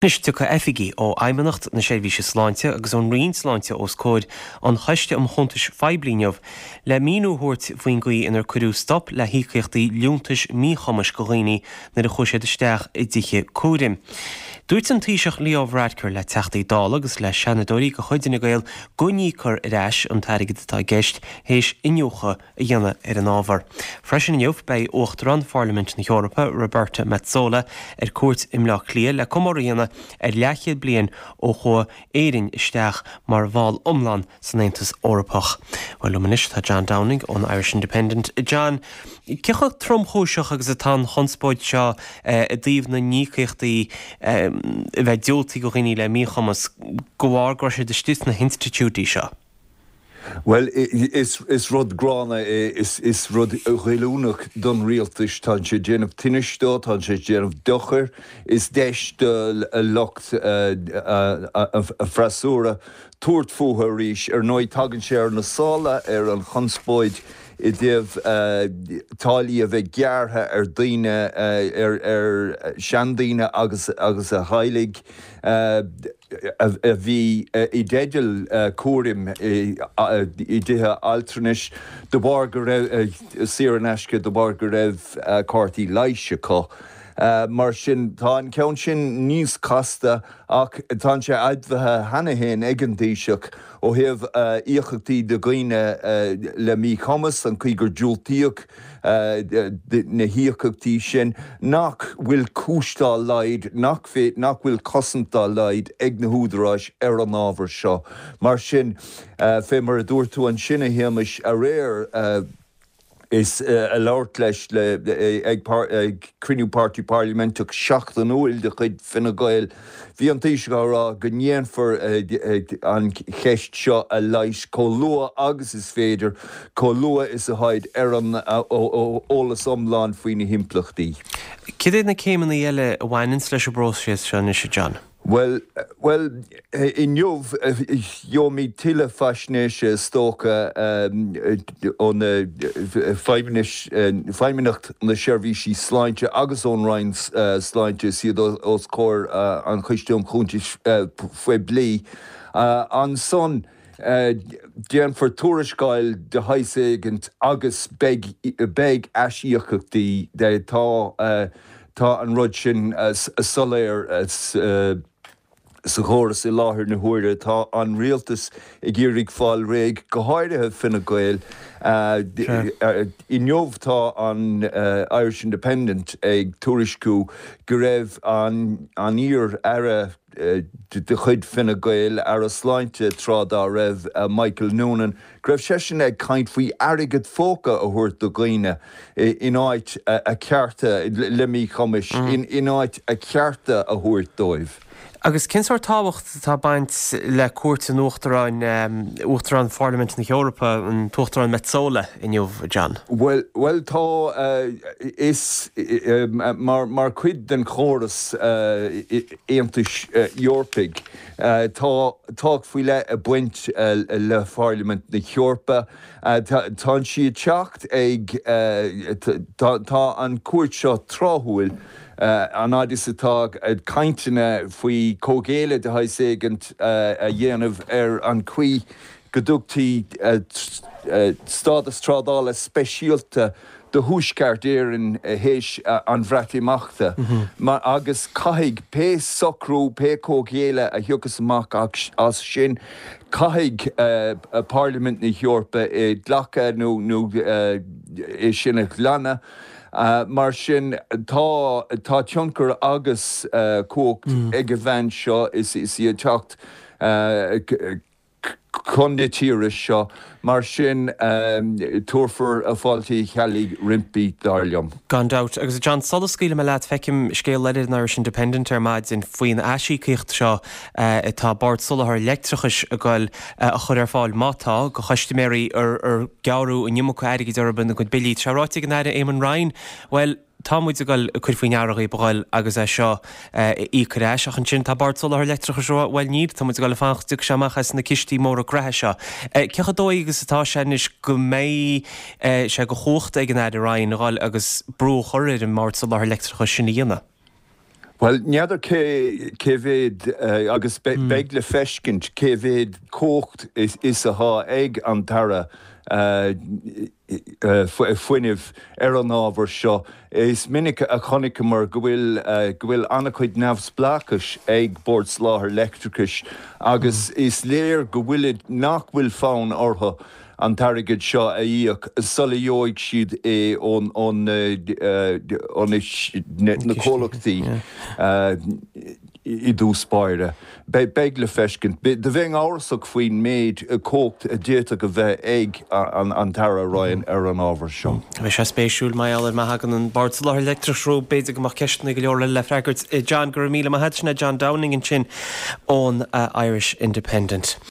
Anois tiocfaidh oifigigh ó Fheidhmeannacht na Seirbhíse Sláinte agus ón Roinn Sláinte os comhair an Choiste um Chuntais Phoiblí inniu le míniú a thabhairt faoin gcaoi inar cuireadh stop le híocaíochtaí liúntais míchumais do dhaoine nuair a chuaigh siad isteach i dtithe cúraim. Dúirt an Taoiseach Leo Varadkar le Teachtaí Dála agus le Seanadóirí de chuid Fhine Gael go n-íocfar ar ais an t-airgead atá i gceist théis iniúchadh a dhéanamh ar an ábhar. Freisin inniu, beidh Uachtarán Pharlaimint na hEorpa, Roberta Metsola, ar cuairt i mBleá Cliath le comóradh a dhéanamh ar leathchéad bliain ó chuaigh Éirinn isteach mar bhall iomlán san Aontas Eorpach. Bhuel, liom anois tá John Downing ón Irish Independent. John, cé chomh tromchúiseach agus atá an chonspóid seo i dtaobh na n-íocaíochtaí a bheith diúltaithe do dhaoine le míchumas de bharr go raibh siad istigh sna hinstitiúidí seo? Bhuel, is rud gránna é, is rud goilliúnach don rialtas. Tá sé ag déanamh tinnis dó, tá sé ag déanamh dochair. Is deis do lucht an freasúra tabhairt fúthu arís. Ar ndóigh, tagann sé ar na sála ar an chonspóid i dtaobh táillí a bheith gearrtha ar daoine, ar seandaoine agus a dteaghlaigh. a bhí i dteideal cúraim i dtithe altranais de bharr go raibh, saor in aisce, de bharr go raibh cártaí leighis acu. Mar sin, tá an ceann sin níos casta ach tá sé admhaithe cheana féin ag an Taoiseach ó thaobh íocaíochtaí do dhaoine le míchumas, an chaoi gur diúltaíodh na híocaíochtaí sin, nach bhfuil cúis dá laghad, nach nach bhfuil cosaint dá laghad ag na húdaráis ar an ábhar seo. Mar sin, fé mar a dúirt tú ansin, a Shéamais, aréir, is ag labhairt leis ag cruinniú páirtí parlaiminteach seachtainiúil de chuid Fine Gael, bhí an Taoiseach á rá go ndéanfar an cheist seo a leigheas chomh luath agus is féidir, chomh luath is atá siad ar an eolas iomlán faoi na himpleachtaí. Cad iad na céimeanna eile a bhaineanns leis an bpróiseas seo anois, a John? Bhuel, bhuel, inniu gheobhaimid tuilleadh faisnéise is dócha ó na Feidhmeannacht na Seirbhísí Sláinte agus ón Roinn Sláinte is iad os comhair an Choiste um Chuntais Phoiblí. Ansan, Déanfar tuarascáil de shaghas éigint agus beidh beidh aisíocaíochtaí. Tá tá an rud sin soiléir sa chóras i láthair na huaire. Tá an rialtas ag iarraidh fáil réidh, go háirithe Fine Gael. Inniu tá an Irish Independent ag tuairisciú go raibh an an iar-aire de chuid Fine Gael, Aire Sláinte tráth dá raibh, Michael Noonan, go raibh seisean ag caint faoi airgead phóca a thabhairt do dhaoine in áit a cearta le míchumais, in áit a cearta a thabhairt dóibh. Agus cén sórt tábhacht atá ag baint le cuairt an Uachtaráin, Uachtarán Pharlaimint na hEorpa, an tUachtarán Metsola, inniu, John? Bhuel, bhuel tá, is mar, mar chuid den chóras Aontais Eorpaigh, tá tábhacht faoi leith ag baint le Pharlaimint na hEorpa. Tá sí ag teacht ag, tá an cuairt seo tráthúil, an fhad is atá cainteanna faoi comhghéilleadh de shaghas éigint a dhéanamh ar an chaoi go dtugtaí stádas trádála speisialta do Thuaisceart Éireann théis an Bhreatimeachta agus caithfidh pé socrú, pé comhghéilleadh a thiocfas amach as sin, caithfidh Parlaimint na hEorpa é glacadh nó é sin a ghlanadh. Mar sin, tá tá tionchar agus cumhacht ag an bhean seo is í ag teacht chun na tíre seo. Mar sin, tabharfar fáilte Uí Cheallaigh roimpi, dar liom. Gan dabht. Agus a John, sula scaoilfidh mé leat, feicim scéal eile ar an Irish Independent ar maidin faoin aisíocaíocht seo atá Bord Soláthair Leictreachais ag goil a chur ar fáil, má tá, do chustaiméirí ar gearradh an iomarca airgid orthu ina gcuid billí. Tá sé ráite ag an Aire Eamon Ryan, bhuel, Tá muid ag goil ag cur faoi ndeara dhaoib a ghoil agus é seo a íoc ar ais. Ach ansin tá Bord Soláthair Leictreachais ag rá, bhuel níl, tá muid ag goil ag fanacht go dtiocfaidh sé amach as na cistí móra graithe seo. Cé chomh dóigh agus atá sé anois go mbeidh sé de chumhacht ag an Aire Ryan a ghoil agus brú a chur ar an mBord Soláthair Leictreachais sin a dhéanamh? Bhuel, n'fheadar cé cé mhéad agus beidh le feiscint cé mhéad cumhacht is atá ag an tAire Fuinnimh ar an ábhar seo. Is minic a chonaiceamar go bhfuil go bhfuil an-chuid neamhspleáchais ag Bord Soláthair Leictreachais agus is léir go bhfuilid nach bhfuil fonn orthu an t-airgead seo a íoc sula gheobhaidh siad é ó na comhlachtaí i dtús báire. Beidh le feiscint. Do bheinn amhrasach faoin méid cumhacht a d'fhéadfadh a bheith ag an tAire Ryan ar an ábhar seo. Beidh sé spéisiúil mar gheall ar má thagann an Bord Soláthair Leictreachais rompu, b'fhéidir go mbeadh ceisteanna go leor eile le freagairt. John, go raibh míle maith agat. Sin é John Downing ansin ón Irish Independent.